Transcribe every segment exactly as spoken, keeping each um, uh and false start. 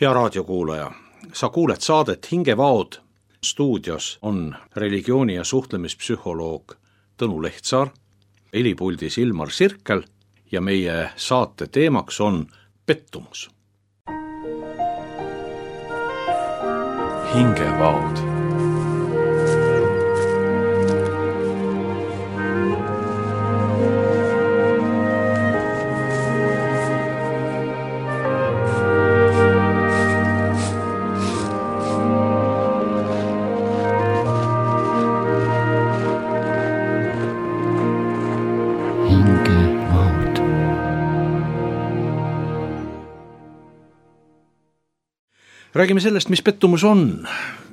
Hea raadiokuulaja, sa kuuled saadet Hingevaod. Stuudios on religiooni- ja suhtlemispsühholoog Tõnu Lehtsaar, helipuldis Ilmar Sirkel ja meie saate teemaks on pettumus. Hingevaod. Räägime sellest, mis pettumus on,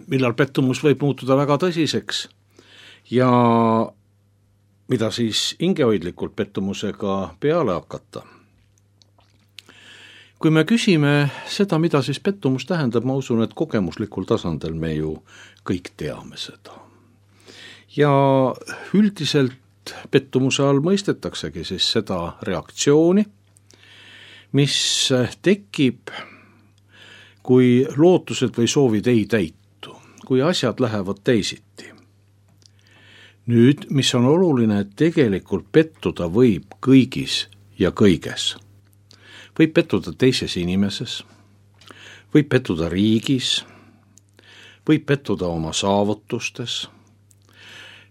millal pettumus võib muutuda väga tõsiseks ja mida siis hingehoidlikult pettumusega peale hakata. Kui me küsime seda, mida siis pettumus tähendab, ma usun, et kogemuslikul tasandil me ju kõik teame seda. Ja üldiselt pettumuse all mõistetaksegi siis seda reaktsiooni, mis tekib, kui lootused või soovid ei täitu, kui asjad lähevad teisiti. Nüüd, mis on oluline, et tegelikult pettuda võib kõigis ja kõiges. Võib pettuda teises inimeses, võib pettuda riigis, võib pettuda oma saavutustes.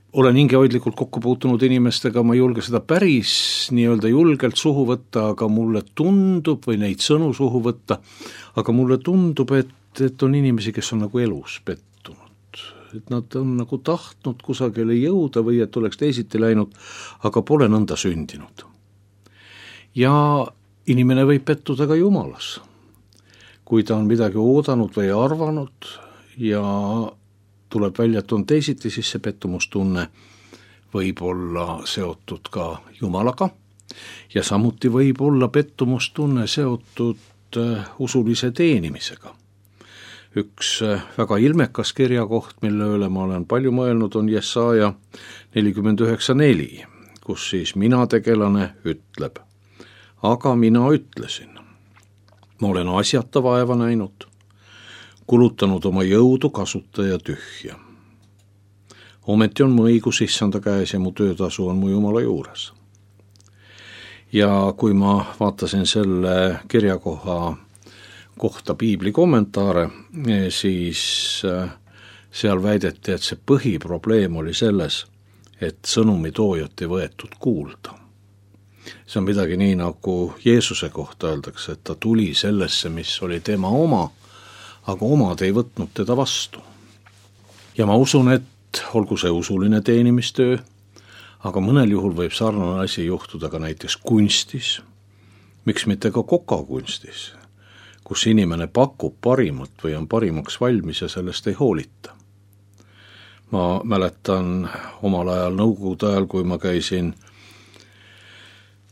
Olen hingehoidlikult kokku puutunud inimestega, ma ei julge seda päris nii-öelda julgelt suhu võtta, aga mulle tundub, või neid sõnu suhu võtta, aga mulle tundub, et, et on inimesi, kes on nagu elus pettunud. Et nad on nagu tahtnud kusagile jõuda või et oleks teisiti läinud, aga pole nõnda sündinud. Ja inimene võib pettuda ka Jumalas, kui ta on midagi oodanud või arvanud ja tuleb välja, et on teisiti, siis see pettumustunne võib olla seotud ka Jumalaga ja samuti võib olla pettumustunne seotud usulise teenimisega. Üks väga ilmekas kirjakoht, mille üle ma olen palju mõelnud, on Jesaja nelikümmend üheksa neli, kus siis mina tegelane ütleb, aga mina ütlesin, ma olen asjata vaeva näinud, kulutanud oma jõudu kasutaja tühja. Ometi on mu õigus issanda käes ja mu töötasu on mu Jumala juures. Ja kui ma vaatasin selle kirjakoha kohta piibli kommentaare, siis seal väideti, et see põhiprobleem oli selles, et sõnumi toojat ei võetud kuulda. See on midagi nii, nagu Jeesuse kohta öeldakse, et ta tuli sellesse, mis oli tema oma, aga omad ei võtnud teda vastu. Ja ma usun, et olgu see usuline teenimistöö, aga mõnel juhul võib sarnane asi juhtuda ka näiteks kunstis, miks mitte ka kokakunstis, kus inimene pakub parimat või on parimaks valmis ja sellest ei hoolita. Ma mäletan omal ajal nõukogude ajal, kui ma käisin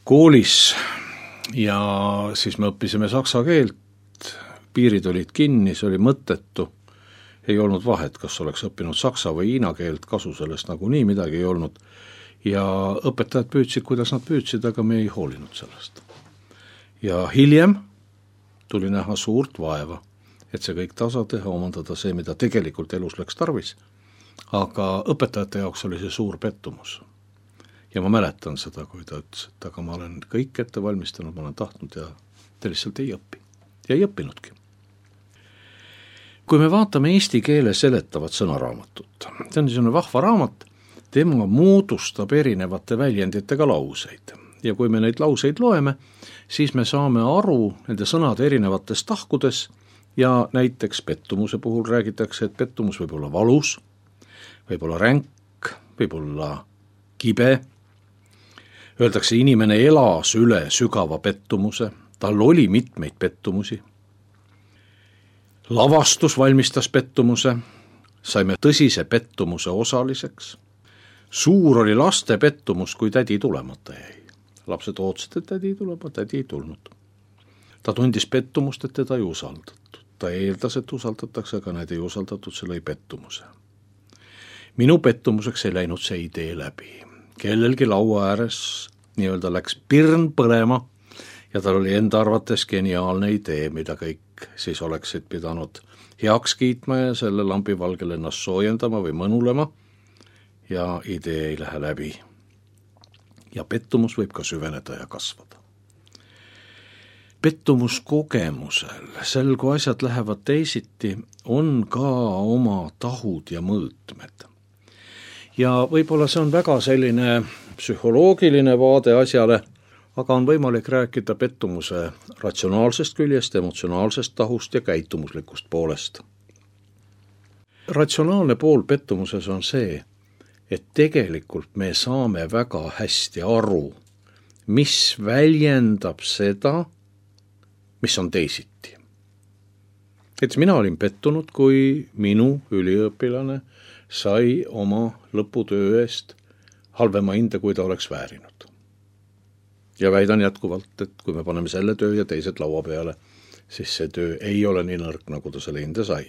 koolis ja siis me õppisime saksa keelt, piirid olid kinni, see oli mõttetu, ei olnud vahet, kas oleks õppinud saksa või hiina keelt, kasu sellest nagu nii midagi ei olnud. Ja õpetajad püüdsid, kuidas nad püüdsid, aga me ei hoolinud sellest. Ja hiljem tuli näha suurt vaeva, et see kõik tasa teha, omandada see, mida tegelikult elus läks tarvis. Aga õpetajate jaoks oli see suur pettumus. Ja ma mäletan seda, kui ta ütles, et aga ma olen kõik ette valmistanud, ma olen tahtnud ja te lihtsalt ei õpi. Ja ei õppinudki. Kui me vaatame eesti keele seletavat sõnaraamatut, see on niisugune vahva raamat, tema moodustab erinevate väljenditega lauseid. Ja kui me neid lauseid loeme, siis me saame aru nende sõnade erinevates tahkudes ja näiteks pettumuse puhul räägitakse, et pettumus võib olla valus, võib olla ränk, võib olla kibe. Öeldakse, inimene elas üle sügava pettumuse, tal oli mitmeid pettumusi. Lavastus valmistas pettumuse, saime tõsise pettumuse osaliseks. Suur oli laste pettumus, kui tädi tulemata jäi. Lapsed ootsid, et tädi tuleb, aga tädi ei tulnud. Ta tundis pettumust, et teda ei usaldatud. Ta eeldas, et usaldatakse, aga need ei usaldatud, see lõi pettumuse. Minu pettumuseks ei läinud see idee läbi. Kellelgi laua ääres nii-öelda läks pirn põlema ja tal oli enda arvates geniaalne idee, mida kõik kõik siis oleksid pidanud heaks kiitma ja selle lambivalgel ennast soojendama või mõnulema ja idee ei lähe läbi. Ja pettumus võib ka süveneda ja kasvada. Pettumuskogemusel, sel kui asjad lähevad teisiti, on ka oma tahud ja mõõtmed. Ja võib-olla see on väga selline psühholoogiline vaade asjale, aga on võimalik rääkida pettumuse ratsionaalsest küljest, emotsionaalsest tahust ja käitumuslikust poolest. Ratsionaalne pool pettumuses on see, et tegelikult me saame väga hästi aru, mis väljendab seda, mis on teisiti. Et mina olin pettunud, kui minu üliõpilane sai oma lõputöö eest halvema hinde, kui ta oleks väärinud. Ja väidan jätkuvalt, et kui me paneme selle töö ja teised laua peale, siis see töö ei ole nii nõrk, nagu ta selle hinde sai.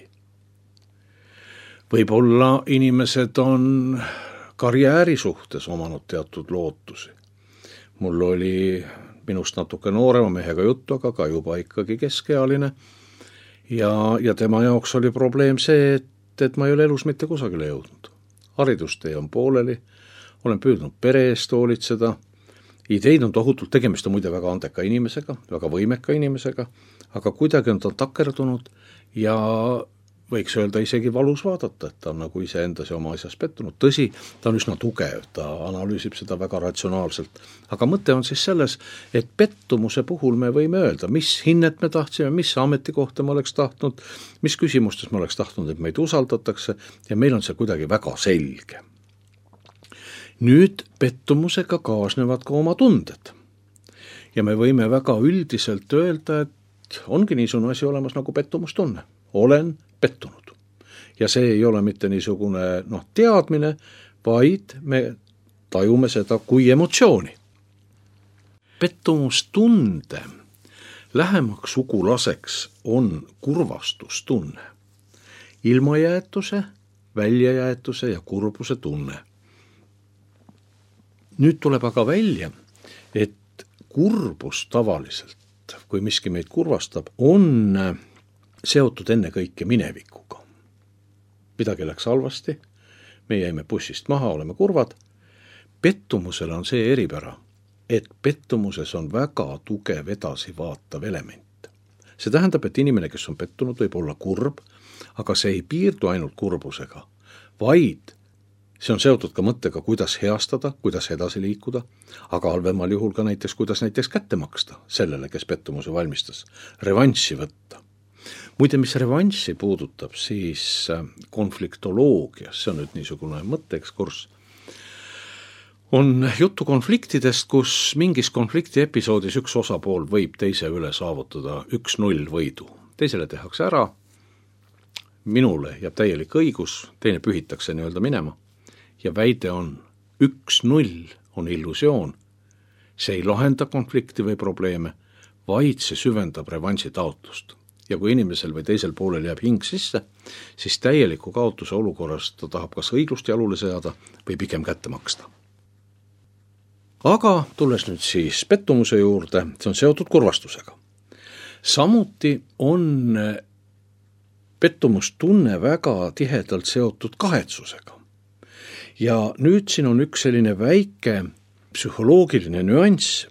Võib-olla inimesed on karjääri suhtes omanud teatud lootusi. Mul oli minust natuke noorema mehega juttu, aga ka juba ikkagi keskealine. Ja, ja tema jaoks oli probleem see, et, et ma ei ole elus mitte kusagile jõudnud. Haridustee on pooleli, olen püüdnud pere eest hoolitseda. Ideid on tohutult, tegemist on muide väga andeka inimesega, väga võimeka inimesega, aga kuidagi on ta takerdunud ja võiks öelda isegi valus vaadata, et ta on nagu ise endas ja oma asjas pettunud. Tõsi, ta on üsna tugev, ta analüüsib seda väga ratsionaalselt. Aga mõte on siis selles, et pettumuse puhul me võime öelda, mis hinnet me tahtsime, mis ametikohta me oleks tahtnud, mis küsimustes me oleks tahtnud, et meid usaldatakse ja meil on see kuidagi väga selge. Nüüd pettumusega kaasnevad ka oma tunded. Ja me võime väga üldiselt öelda, et ongi niisugune asi olemas nagu pettumustunne. Olen pettunud. Ja see ei ole mitte niisugune noh, teadmine, vaid me tajume seda kui emotsiooni. Pettumustunde lähemaks sugulaseks on kurvastustunne. Ilmajäetuse, väljajäetuse ja kurbuse tunne. Nüüd tuleb aga välja, et kurbus tavaliselt, kui miski meid kurvastab, on seotud enne kõike minevikuga. Midagi läks halvasti, me jäime bussist maha, oleme kurvad. Pettumusel on see eripära, et pettumuses on väga tugev edasi vaatav element. See tähendab, et inimene, kes on pettunud, võib olla kurb, aga see ei piirdu ainult kurbusega, vaid see on seotud ka mõttega, kuidas heastada, kuidas edasi liikuda, aga halvemal juhul ka näiteks, kuidas näiteks kätte maksta sellele, kes pettumuse valmistas, revanssi võtta. Muide, mis revanssi puudutab, siis konfliktoloogias, see on nüüd niisugune mõtteekskurs, on juttu konfliktidest, kus mingis konflikti episoodis üks osapool võib teise üle saavutada üks null võidu. Teisele tehakse ära, minule jääb täielik õigus, teine pühitakse nii-öelda minema ja väide on üks null on illusioon. See ei lahenda konflikti või probleeme, vaid see süvendab revansi taotlust. Ja kui inimesel või teisel poolel jääb hing sisse, siis täieliku kaotuse olukorras ta tahab kas õiglust jalule seada või pigem kätte maksta. Aga tulles nüüd siis pettumuse juurde, see on seotud kurvastusega. Samuti on pettumustunne väga tihedalt seotud kahetsusega. Ja nüüd siin on üks selline väike psühholoogiline nüanss.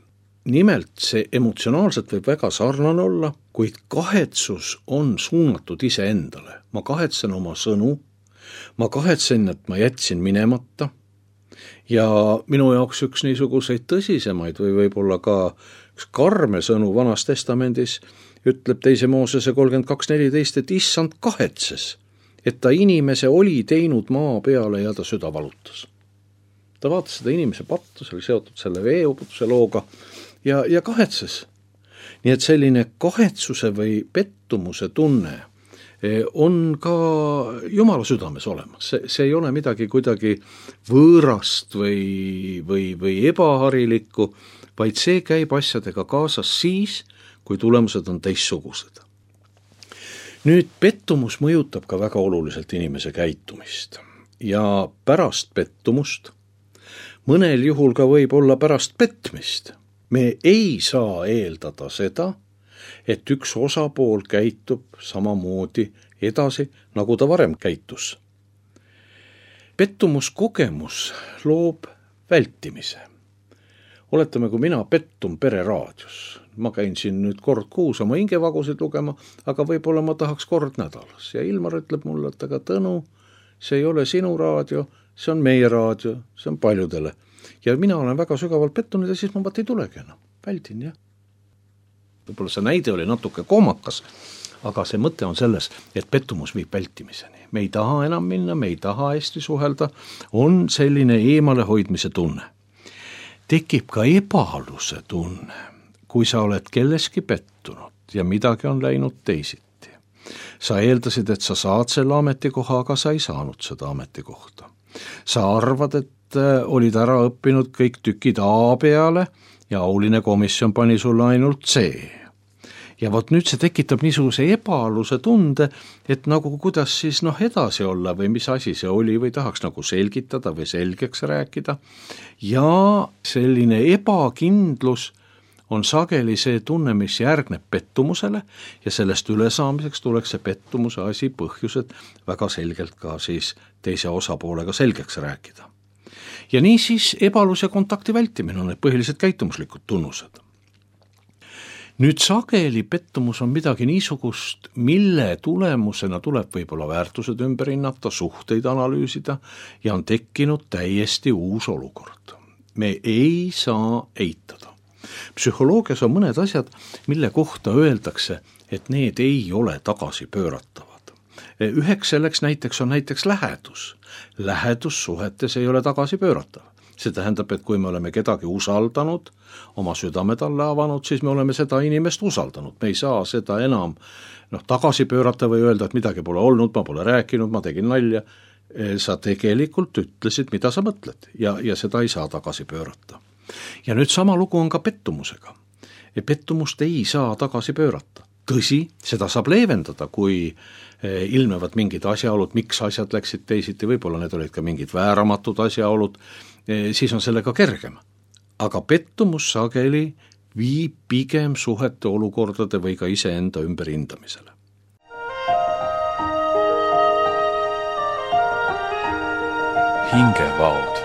Nimelt see emotsionaalselt võib väga sarnane olla, kuid kahetsus on suunatud iseendale. Ma kahetsen oma sõnu, ma kahetsen, et ma jätsin minemata ja minu jaoks üks niisuguseid tõsisemaid või võib-olla ka üks karme sõnu Vanas Testamendis ütleb teise Moosese kolmkümmend kaks neliteist, et issand kahetses, et ta inimese oli teinud maa peale ja ta süda valutas. Ta vaatas seda inimese pattu, see oli seotud selle veeuputuse looga ja, ja kahetses. Nii et selline kahetsuse või pettumuse tunne on ka Jumala südames olemas. See, see ei ole midagi kuidagi võõrast või, või, või ebaharilikku, vaid see käib asjadega kaasas siis, kui tulemused on teistsugused. Nüüd pettumus mõjutab ka väga oluliselt inimese käitumist ja pärast pettumust, mõnel juhul ka võib olla pärast petmist. Me ei saa eeldada seda, et üks osapool käitub samamoodi edasi, nagu ta varem käitus. Pettumuskogemus loob vältimise. Oletame, kui mina pettun pereraadios. Ma käin siin nüüd kord kuus oma hingevagusid lugema, aga võib-olla ma tahaks kord nädalas. Ja Ilmar ütleb mulle, et aga Tõnu, see ei ole sinu raadio, see on meie raadio, see on paljudele. Ja mina olen väga sügavalt pettunud ja siis ma vaat ei tulegi enam. Väldin, jah. Võib-olla see näide oli natuke kohmakas, aga see mõte on selles, et pettumus viib vältimiseni. Me ei taha enam minna, me ei taha hästi suhelda, on selline eemale hoidmise tunne. Tekib ka ebaaluse tunne, kui sa oled kelleski pettunud ja midagi on läinud teisiti. Sa eeldasid, et sa saad selle ametikoha, aga sa ei saanud seda ametikohta. Sa arvad, et olid ära õppinud kõik tükid A peale ja auline komisjon pani sulle ainult C. Ja vot nüüd see tekitab niisuguse ebaaluse tunde, et nagu kuidas siis noh edasi olla või mis asi see oli või tahaks nagu selgitada või selgeks rääkida. Ja selline ebakindlus on sageli see tunne, mis järgneb pettumusele ja sellest ülesaamiseks tuleks see pettumuse asi põhjused väga selgelt ka siis teise osapoolega selgeks rääkida. Ja nii siis ebaalus ja kontakti vältimine on need põhilised käitumuslikud tunnused. Nüüd sageli pettumus on midagi niisugust, mille tulemusena tuleb võib-olla väärtused ümber hinnata, suhteid analüüsida ja on tekkinud täiesti uus olukord. Me ei saa eitada. Psühholoogias on mõned asjad, mille kohta öeldakse, et need ei ole tagasi pööratavad. Üheks selleks näiteks on näiteks lähedus. Lähedus suhetes ei ole tagasi pööratav. See tähendab, et kui me oleme kedagi usaldanud, oma südame talle avanud, siis me oleme seda inimest usaldanud. Me ei saa seda enam noh, tagasi pöörata või öelda, et midagi pole olnud, ma pole rääkinud, ma tegin nalja. Sa tegelikult ütlesid, mida sa mõtled ja, ja seda ei saa tagasi pöörata. Ja nüüd sama lugu on ka pettumusega. Pettumust ei saa tagasi pöörata. Tõsi, seda saab leevendada, kui ilmnevad mingid asjaolud, miks asjad läksid teisiti, võib-olla need olid ka mingid vääramatud asjaolud, siis on sellega kergem. Aga pettumus sageli viib pigem suhete olukordade või ka iseenda ümberhindamisele. Hingevaod.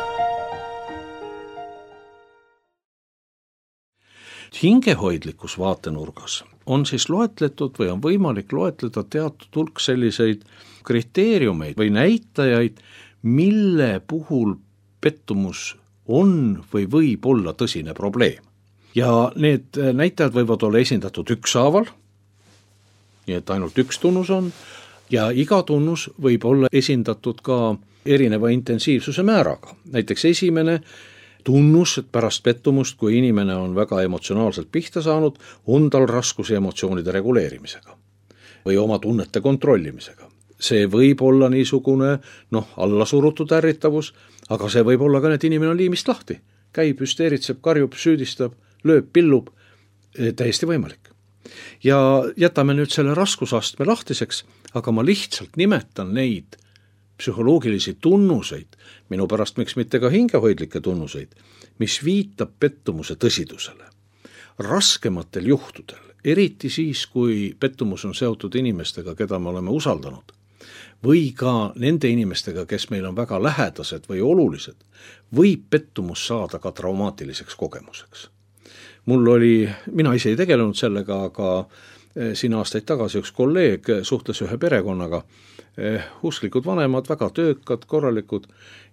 Hingehoidlikus vaatenurgas on siis loetletud või on võimalik loetleda teatud hulk selliseid kriteeriumeid või näitajaid, mille puhul pettumus on või võib olla tõsine probleem. Ja need näitajad võivad olla esindatud ükshaaval, nii et ainult üks tunnus on, ja iga tunnus võib olla esindatud ka erineva intensiivsuse määraga. Näiteks esimene tunnus, et pärast pettumust, kui inimene on väga emotsionaalselt pihta saanud, on tal raskusi emotsioonide reguleerimisega või oma tunnete kontrollimisega. See võib olla niisugune noh, allasurutud ärritavus, aga see võib olla ka, et inimene on liimist lahti. Käib, hüsteeritseb, karjub, süüdistab, lööb, pillub, täiesti võimalik. Ja jätame nüüd selle raskusastme lahtiseks, aga ma lihtsalt nimetan neid psühholoogilisi tunnuseid, minu pärast miks mitte ka hingehoidlikke tunnuseid, mis viitab pettumuse tõsidusele. Raskematel juhtudel, eriti siis, kui pettumus on seotud inimestega, keda me oleme usaldanud, või ka nende inimestega, kes meil on väga lähedased või olulised, võib pettumus saada ka traumaatiliseks kogemuseks. Mul oli, mina ise ei tegelenud sellega, aga siin aastaid tagasi üks kolleeg suhtles ühe perekonnaga, usklikud vanemad, väga töökad, korralikud,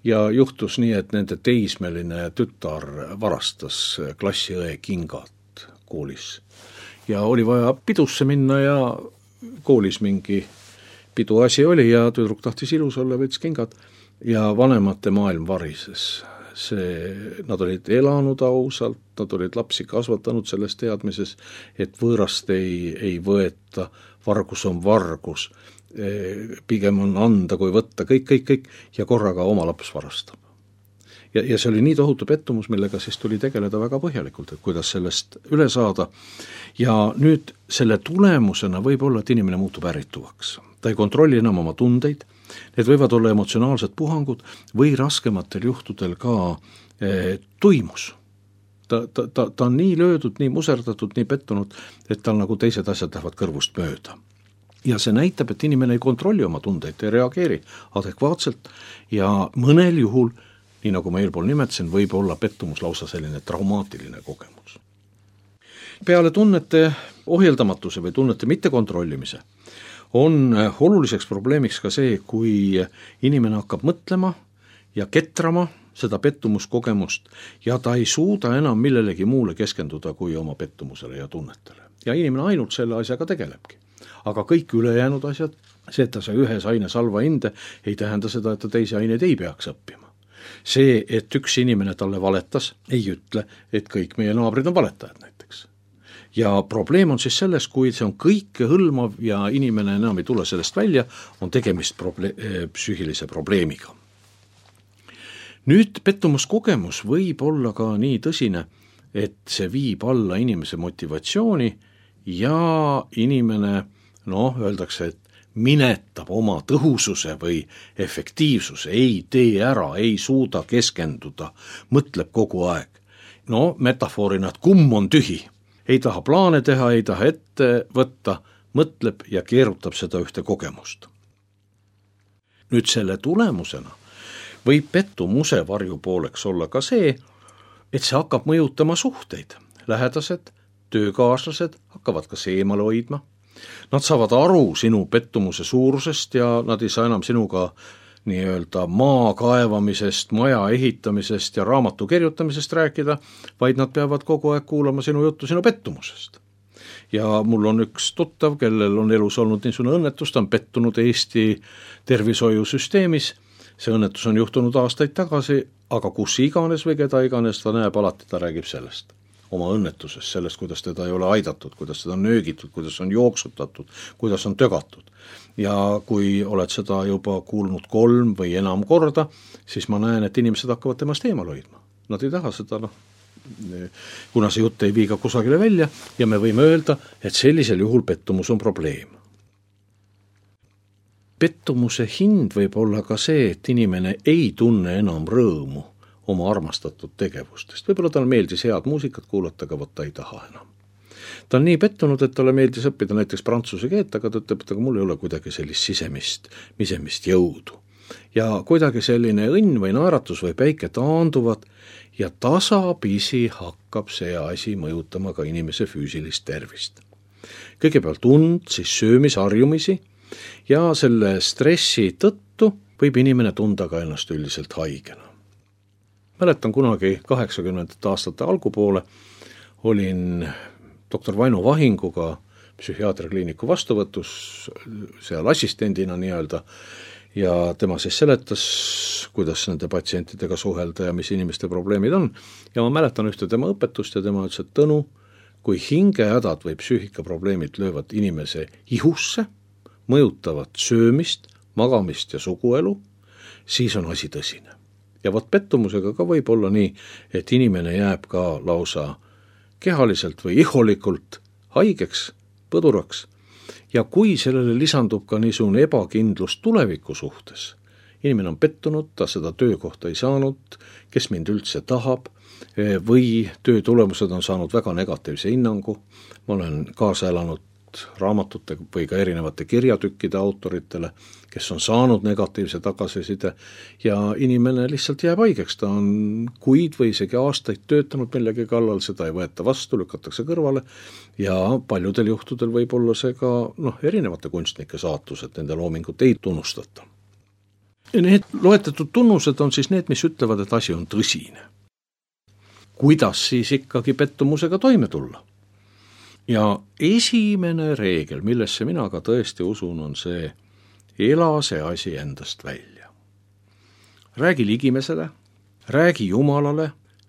ja juhtus nii, et nende teismeline tütar varastas klassiõe kingad koolis. Ja oli vaja pidusse minna ja koolis mingi pidu asi oli ja tüdruk tahtis ilus olla, võttis kingad ja vanemate maailm varises. See, nad olid elanud ausalt, nad olid lapsi kasvatanud selles teadmises, et võõrast ei, ei võeta, vargus on vargus, pigem on anda kui võtta, kõik, kõik, kõik ja korraga oma laps varastab. Ja, ja see oli nii tohutu pettumus, millega siis tuli tegeleda väga põhjalikult, et kuidas sellest üle saada. Ja nüüd selle tulemusena võib olla, et inimene muutub ärrituvaks. Ta ei kontrolli enam oma tundeid, need võivad olla emotsionaalsed puhangud või raskematel juhtudel ka eh, tuimus. ta, ta, ta, ta on nii löödud, nii muserdatud, nii pettunud, et tal nagu teised asjad lähevad kõrvust mööda. Ja see näitab, et inimene ei kontrolli oma tundeid, ei reageeri adekvaatselt ja mõnel juhul, nii nagu ma eelpool nimetasin, võib olla pettumus lausa selline traumaatiline kogemus. Peale tunnete ohjeldamatuse või tunnete mittekontrollimise on oluliseks probleemiks ka see, kui inimene hakkab mõtlema ja ketrama seda pettumuskogemust ja ta ei suuda enam millelegi muule keskenduda kui oma pettumusele ja tunnetele. Ja inimene ainult selle asjaga tegelebki. Aga kõik ülejäänud asjad, see, et ta sai ühes aines halva hinde, ei tähenda seda, et ta teisi aineid ei peaks õppima. See, et üks inimene talle valetas, ei ütle, et kõik meie naabrid on valetajad näiteks. Ja probleem on siis selles, kui see on kõike hõlmav ja inimene enam ei tule sellest välja, on tegemist proble- psüühilise probleemiga. Nüüd pettumuskogemus võib olla ka nii tõsine, et see viib alla inimese motivatsiooni ja inimene, noh, öeldakse, et minetab oma tõhususe või efektiivsuse, ei tee ära, ei suuda keskenduda, mõtleb kogu aeg. No metafoorina, et kumm on tühi, ei taha plaane teha, ei taha ette võtta, mõtleb ja keerutab seda ühte kogemust. Nüüd selle tulemusena võib pettumuse varjupooleks olla ka see, et see hakkab mõjutama suhteid. Lähedased, töökaaslased hakkavad kas eemale hoidma. Nad saavad aru sinu pettumuse suurusest ja nad ei saa enam sinuga nii-öelda maa kaevamisest, maja ehitamisest ja raamatu kirjutamisest rääkida, vaid nad peavad kogu aeg kuulama sinu juttu sinu pettumusest. Ja mul on üks tuttav, kellel on elus olnud niisugune õnnetus, ta on pettunud Eesti tervishoiusüsteemis. See õnnetus on juhtunud aastaid tagasi, aga kus iganes või keda iganes ta näeb, alati ta räägib sellest. Oma õnnetusest, sellest, kuidas teda ei ole aidatud, kuidas teda on nöögitud, kuidas on jooksutatud, kuidas on tögatud. Ja kui oled seda juba kuulnud kolm või enam korda, siis ma näen, et inimesed hakkavad temast eemal hoidma. Nad ei taha seda, noh, kuna see jutt ei viiga kusagile välja ja me võime öelda, et sellisel juhul pettumus on probleem. Pettumuse hind võib olla ka see, et inimene ei tunne enam rõõmu oma armastatud tegevustest. Võib-olla tal meeldis head muusikat kuulata, aga võtta ei taha enam. Ta on nii pettunud, et talle meeldis õppida näiteks prantsuse keelt, aga ta ütleb, et aga mul ei ole kuidagi sellist sisemist, misemist jõudu. Ja kuidagi selline õnn või naeratus või päike taanduvad ja tasapisi hakkab see asi mõjutama ka inimese füüsilist tervist. Kõigepealt und, siis söömisharjumisi ja selle stressi tõttu võib inimene tunda ka ennast üldiselt haigena. Mäletan kunagi kaheksakümnendate aastate algupoole olin doktor Vaino Vahinguga psühhiaatriakliiniku vastuvõtus seal assistendina nii-öelda ja tema siis seletas, kuidas nende patsientidega suhelda ja mis inimeste probleemid on. Ja ma mäletan ühte tema õpetust ja tema ütles, et Tõnu, kui hingehädad või psüühikaprobleemid löövad inimese ihusse, mõjutavad söömist, magamist ja suguelu, siis on asi tõsine. Ja võt pettumusega ka võib olla nii, et inimene jääb ka lausa kehaliselt või iholikult haigeks, põduraks. Ja kui sellele lisandub ka niisugune ebakindlus tuleviku suhtes, inimene on pettunud, ta seda töökohta ei saanud, kes mind üldse tahab, või töö tulemused on saanud väga negatiivse hinnangu, ma olen kaasa elanud raamatute või ka erinevate kirjatükkide autoritele, kes on saanud negatiivse tagasiside ja inimene lihtsalt jääb haigeks, ta on kuid või isegi aastaid töötanud millegi kallal, seda ei võeta vastu, lükatakse kõrvale ja paljudel juhtudel võib olla see ka noh, erinevate kunstnike saatus, et nende loomingut ei tunnustata. Ja need loetletud tunnused on siis need, mis ütlevad, et asi on tõsine. Kuidas siis ikkagi pettumusega toime tulla? Ja esimene reegel, millesse mina ka tõesti usun, on see, ela see asi endast välja. Räägi ligimesele, räägi Jumalale,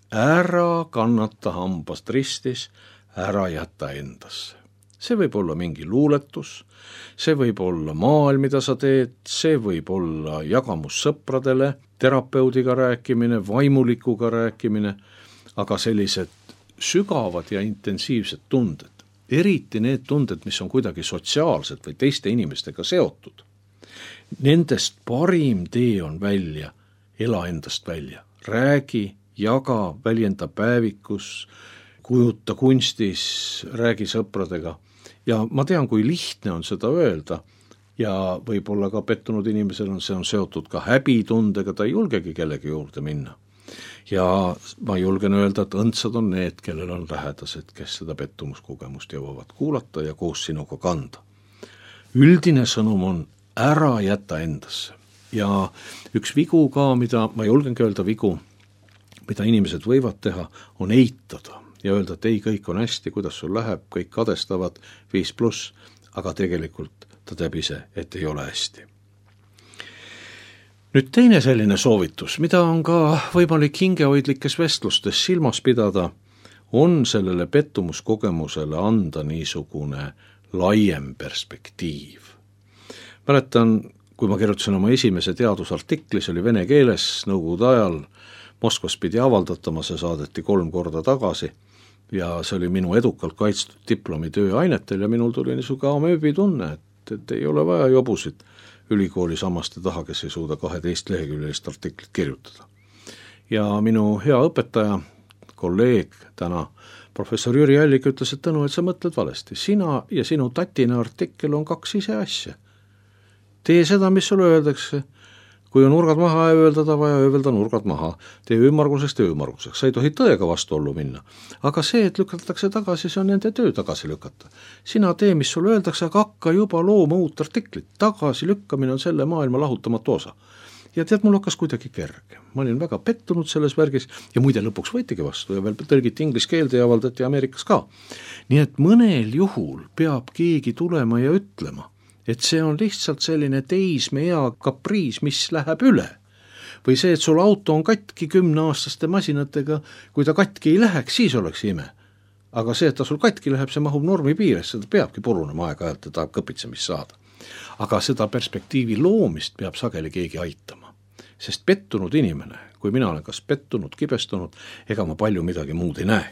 ära kannata hambast ristis, ära jätta endasse. See võib olla mingi luuletus, see võib olla maal, mida sa teed, see võib olla jagamus sõpradele, terapeudiga rääkimine, vaimulikuga rääkimine, aga sellised sügavad ja intensiivsed tunded, eriti need tunded, mis on kuidagi sotsiaalsed või teiste inimestega seotud. Nendest parim tee on välja, ela endast välja, räägi jaga, väljenda päevikus, kujuta kunstis, räägi sõpradega. Ja ma tean, kui lihtne on seda öelda ja võib-olla ka pettunud inimesel on see on seotud ka häbitundega, ta ei julgegi kellegi juurde minna. Ja ma julgen öelda, et õndsad on need, kellel on lähedased, kes seda pettumuskogemust jõuavad kuulata ja koos sinuga kanda. Üldine sõnum on ära jätta endasse. Ja üks vigu ka, mida ma julgengi öelda vigu, mida inimesed võivad teha, on eitada ja öelda, et ei, kõik on hästi, kuidas sul läheb, kõik kadestavad viis pluss, aga tegelikult ta teab ise, et ei ole hästi. Nüüd teine selline soovitus, mida on ka võimalik hingehoidlikes vestlustes silmas pidada, on sellele pettumuskogemusele anda niisugune laiem perspektiiv. Mäletan, kui ma kirjutasin oma esimese teadusartikli, see oli vene keeles, nõukogude ajal, Moskvas pidi avaldatama, see saadeti kolm korda tagasi ja see oli minu edukalt kaitstud diplomitöö ainetel ja minul tuli niisugune amööbi tunne, et, et ei ole vaja jobusid ülikooli samaste taha, kes ei suuda kaheteist leheküljelist artiklit kirjutada. Ja minu hea õpetaja, kolleeg täna, professor Jüri Allik ütles, et Tõnu, et sa mõtled valesti. Sina ja sinu tatina artikkel on kaks ise asja. Tee seda, mis sulle öeldakse. Kui on nurgad maha öeldada, vaja öelda nurgad maha. Tee ümmarguseks, tee ümmarguseks. Sa ei tohi tõega vastuollu minna. Aga see, et lükatakse tagasi, see on nende töö tagasi lükata. Sina tee, mis sulle öeldakse, aga hakka juba looma uut artiklit. Tagasi lükkamine on selle maailma lahutamatu osa. Ja tead, mul hakkas kuidagi kerge. Ma olin väga pettunud selles värgis ja muide lõpuks võitigi vastu ja veel tõlgiti inglise keelde ja avaldati Ameerikas ka. Nii et mõnel juhul peab keegi tulema ja ütlema, et see on lihtsalt selline teismea kapriis, mis läheb üle. Või see, et sul auto on katki kümneaastaste masinatega, kui ta katki ei läheks, siis oleks ime. Aga see, et ta sul katki läheb, see mahub normi piires, seda peabki purunema aeg-ajalt ja tahab kõpitsemist saada. Aga seda perspektiivi loomist peab sageli keegi aitama. Sest pettunud inimene, kui mina olen kas pettunud, kibestunud, ega ma palju midagi muud ei näe.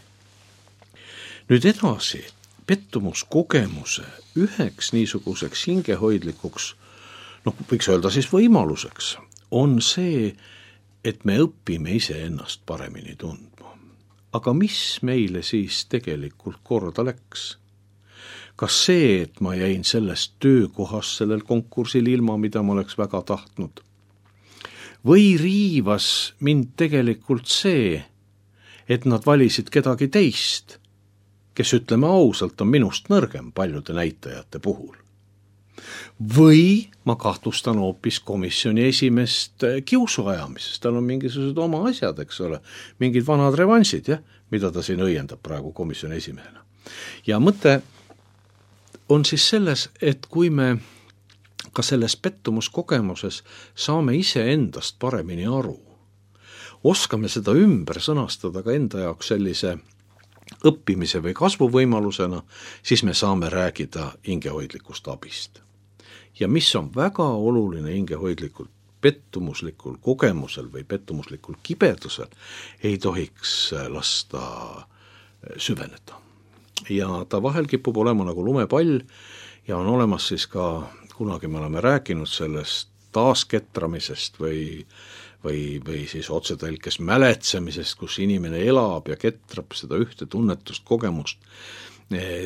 Nüüd edasi, pettumuskogemuse üheks niisuguseks hingehoidlikuks, noh, võiks öelda siis võimaluseks, on see, et me õpime ise ennast paremini tundma. Aga mis meile siis tegelikult korda läks? Kas see, et ma jäin sellest töökohas sellel konkursil ilma, mida ma oleks väga tahtnud? Või riivas mind tegelikult see, et nad valisid kedagi teist, kes ütleme ausalt on minust nõrgem paljude näitajate puhul. Või ma kahtlustan hoopis komisjoni esimest kiusuajamisest, tal on mingisugused oma asjad, eks ole, mingid vanad revansid, jah, mida ta siin õiendab praegu komisjoni esimehena. Ja mõte on siis selles, et kui me ka selles pettumuskogemuses saame ise endast paremini aru, oskame seda ümber sõnastada ka enda jaoks sellise õppimise või kasvuvõimalusena, siis me saame rääkida hingehoidlikust abist. Ja mis on väga oluline hingehoidlikul pettumuslikul kogemusel või pettumuslikul kibedusel, ei tohiks lasta süveneda. Ja ta vahel kipub olema nagu lumepall ja on olemas siis ka, kunagi me oleme rääkinud sellest taasketramisest või Või, või siis otsetõlkes mäletsemisest, kus inimene elab ja ketrab seda ühte tunnetust, kogemust,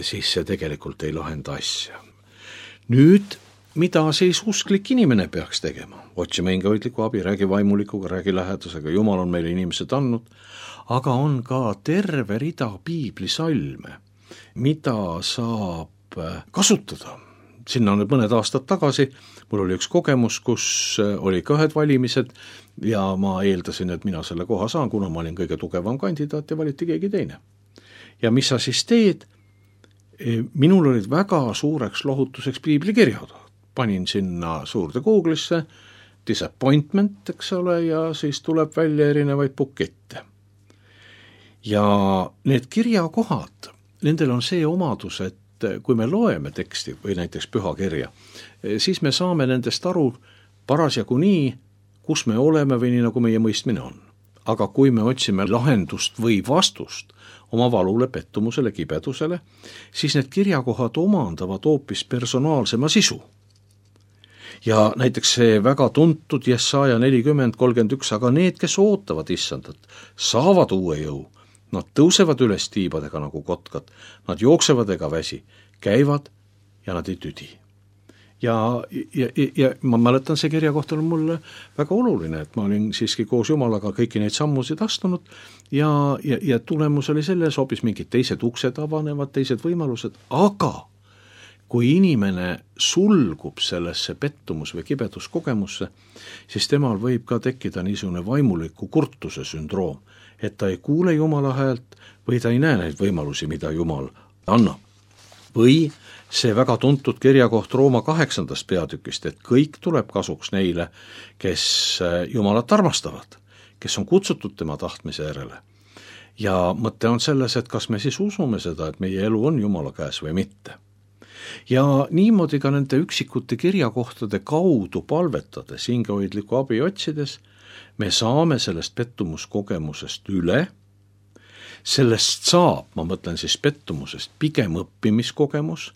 siis see tegelikult ei lahenda asja. Nüüd, mida siis usklik inimene peaks tegema? Otsima hingehoidliku abi, räägi vaimulikuga, räägi lähedasega, Jumal on meile inimesed andnud, aga on ka terve rida piiblisalme, mida saab kasutada. Sinna on nüüd mõned aastad tagasi, mul oli üks kogemus, kus oli ka ühed valimised ja ma eeldasin, et mina selle koha saan, kuna ma olin kõige tugevam kandidaat ja valiti keegi teine. Ja mis sa siis teed? Minul olid väga suureks lohutuseks piiblikirjad. Panin sinna suurde Google'isse disappointment, eks ole, ja siis tuleb välja erinevaid bukette. Ja need kirjakohad, nendel on see omadus, et kui me loeme teksti või näiteks pühakirja, siis me saame nendest aru parasjagu nii, kus me oleme või nii, nagu meie mõistmine on. Aga kui me otsime lahendust või vastust oma valule, pettumusele, kibedusele, siis need kirjakohad omandavad hoopis personaalsema sisu. ja näiteks see väga tuntud Jesaja nelikümmend kolmkümmend üks, aga need, kes ootavad issandat, saavad uue jõu, nad tõusevad üles tiibadega nagu kotkad, nad jooksevad ega väsi, käivad ja nad ei tüdi. Ja, ja, ja ma mäletan, see kirja kohta on mulle väga oluline, et ma olin siiski koos Jumalaga kõiki neid sammusid astunud ja, ja, ja tulemus oli selles, hoopis mingid teised uksed avanevad, teised võimalused, aga kui inimene sulgub sellesse pettumus- või kibeduskogemusse, siis temal võib ka tekkida niisugune vaimuliku kurtuse sündroom, et ta ei kuule Jumala häält või ta ei näe neid võimalusi, mida Jumal annab. Või see väga tuntud kirjakoht Rooma kaheksandast peatükist, et kõik tuleb kasuks neile, kes Jumalat armastavad, kes on kutsutud tema tahtmise järele. Ja mõte on selles, et kas me siis usume seda, et meie elu on Jumala käes või mitte. Ja niimoodi ka nende üksikute kirjakohtade kaudu palvetades, hingehoidliku abi otsides, me saame sellest pettumuskogemusest üle, sellest saab, ma mõtlen siis pettumusest, pigem õppimiskogemus,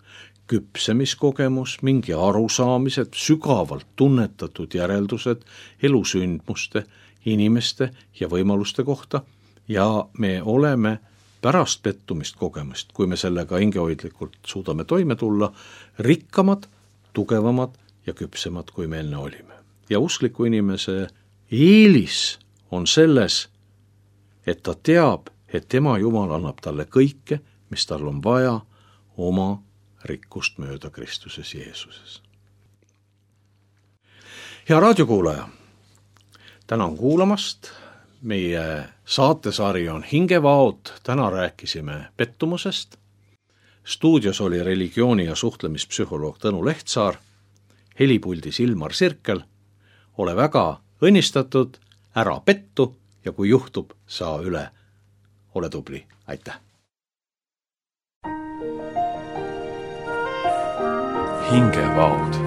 küpsemiskogemus, mingi arusaamised, sügavalt tunnetatud järeldused elusündmuste, inimeste ja võimaluste kohta ja me oleme pärast pettumist kogemust, kui me sellega hingehoidlikult suudame toime tulla, rikkamad, tugevamad ja küpsemad, kui me enne olime. Ja uskliku inimese eelis on selles, et ta teab, et tema Jumal annab talle kõike, mis tal on vaja oma rikkust mööda Kristuses Jeesuses. Hea raadiokuulaja, tänan kuulamast. Meie saatesari on Hingevaod, täna rääkisime pettumusest. Stuudios oli religiooni- ja suhtlemispsühholoog Tõnu Lehtsaar, helipuldis Ilmar Sirkel. Ole väga õnnistatud, ära pettu ja kui juhtub, saa üle. Ole tubli, aitäh! Hingevaod